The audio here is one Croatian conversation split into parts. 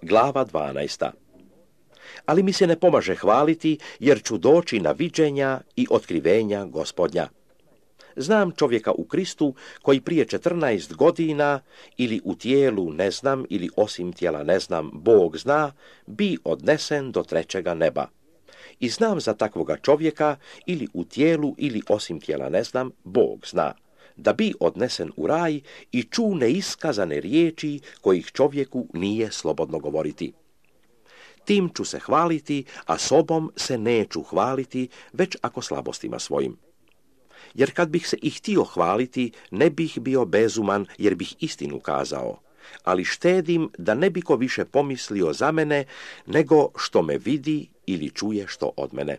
Glava 12. Ali mi se ne pomaže hvaliti, jer ću doći na viđenja i otkrivenja Gospodnja. Znam čovjeka u Kristu koji prije 14 godina, ili u tijelu ne znam, ili osim tijela ne znam, Bog zna, bi odnesen do 3. neba. I znam za takvoga čovjeka, ili u tijelu, ili osim tijela ne znam, Bog zna, da bi odnesen u raj i ču neiskazane riječi kojih čovjeku nije slobodno govoriti. Tim ću se hvaliti, a sobom se neću hvaliti, već ako slabostima svojim. Jer kad bih se i htio hvaliti, ne bih bio bezuman, jer bih istinu kazao. Ali štedim da ne bi ko više pomislio za mene, nego što me vidi ili čuje što od mene.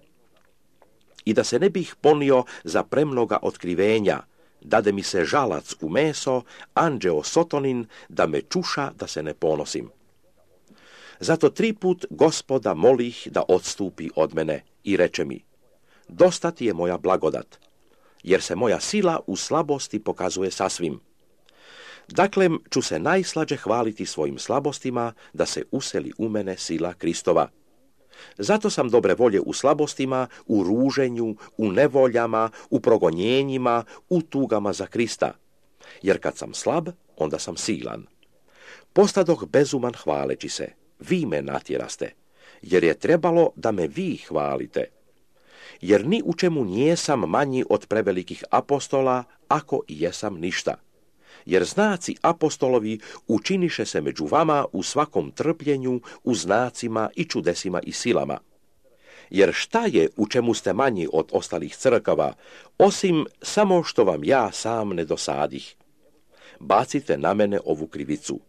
I da se ne bih ponio za premnoga otkrivenja, dade mi se žalac u meso, anđeo sotonin, da me čuša da se ne ponosim. Zato 3 put Gospoda molih da odstupi od mene i reče mi: dosta ti je moja blagodat, jer se moja sila u slabosti pokazuje sasvim. Dakle, ću se najslađe hvaliti svojim slabostima, da se useli u mene sila Kristova. Zato sam dobre volje u slabostima, u ruženju, u nevoljama, u progonjenjima, u tugama za Krista. Jer kad sam slab, onda sam silan. Postadoh bezuman hvaleći se, vi me natjeraste, jer je trebalo da me vi hvalite. Jer ni u čemu nijesam manji od prevelikih apostola, ako i jesam ništa. Jer znaci apostolovi učiniše se među vama u svakom trpljenju, u znacima i čudesima i silama. Jer šta je u čemu ste manji od ostalih crkava, osim samo što vam ja sam ne dosadih? Bacite na mene ovu krivicu.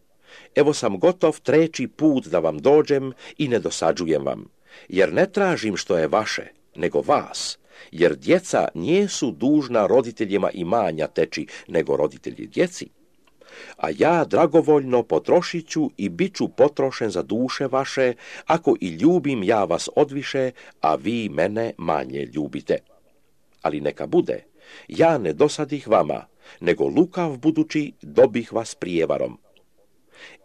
Evo sam gotov 3. put da vam dođem i ne dosađujem vam, jer ne tražim što je vaše, nego vas, jer djeca nijesu dužna roditeljima imanja teći, nego roditelji djeci. A ja dragovoljno potrošit ću i bit ću potrošen za duše vaše, ako i ljubim ja vas odviše, a vi mene manje ljubite. Ali neka bude, ja ne dosadih vama, nego lukav budući dobih vas prijevarom.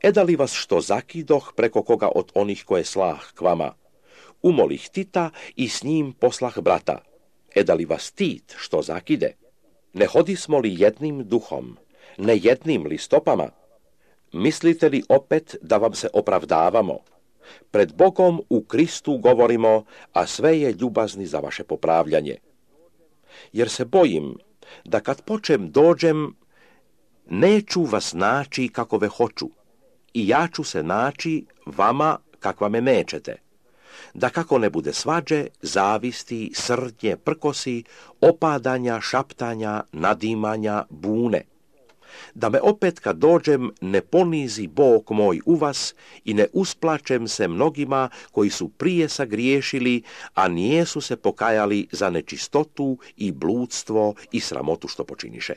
Eda li vas što zakidoh preko koga od onih koje slah k vama? Umolih Tita i s njim poslah brata. Eda li vas Tit što zakide? Ne hodismo li jednim duhom, ne jednim li stopama? Mislite li opet da vam se opravdavamo? Pred Bogom u Kristu govorimo, a sve je ljubazni za vaše popravljanje. Jer se bojim da kad počem dođem, neću vas naći kakove hoću, i ja ću se naći vama kakva me nećete. Da kako ne bude svađe, zavisti, srdnje, prkosi, opadanja, šaptanja, nadimanja, bune. Da me opet kad dođem ne ponizi Bog moj u vas i ne usplačem se mnogima koji su prije sagriješili, a nijesu se pokajali za nečistotu i bludstvo i sramotu što počiniše.